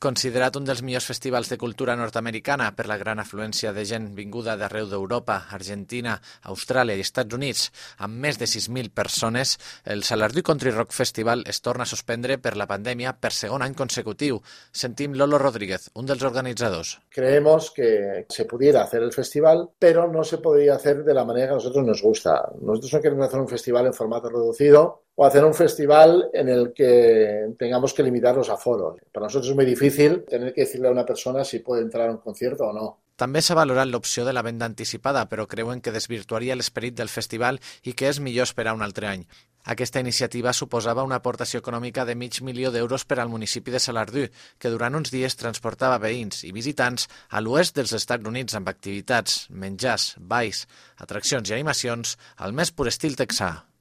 Considerat un dels millors festivals de cultura nord-americana per la gran afluència de gent vinguda d'arreu d'Europa, Argentina, Austràlia i Estats Units, amb més de 6.000 persones, el Salardú Country Rock Festival es torna a suspendre per la pandèmia per segon any consecutiu. Sentim Lolo Rodríguez, un dels organitzadors. Creemos que se pudiera hacer el festival, pero no se podría hacer de la manera que a nosotros nos gusta. Nosotros no queremos hacer un festival en formato reducido o hacer un festival en el que tengamos que limitar los aforos. Para nosotros es muy difícil tener que decirle a una persona si puede entrar a un concierto o no. També s'ha valorat l'opció de la venda anticipada, però creuen que desvirtuaria l'esperit del festival i que és millor esperar un altre any. Aquesta iniciativa suposava una aportació econòmica de $500.000 per al municipi de Salardú, que durant uns dies transportava veïns i visitants a l'oest dels Estats Units amb activitats, menjars, balls, atraccions i animacions al més pur estil texà.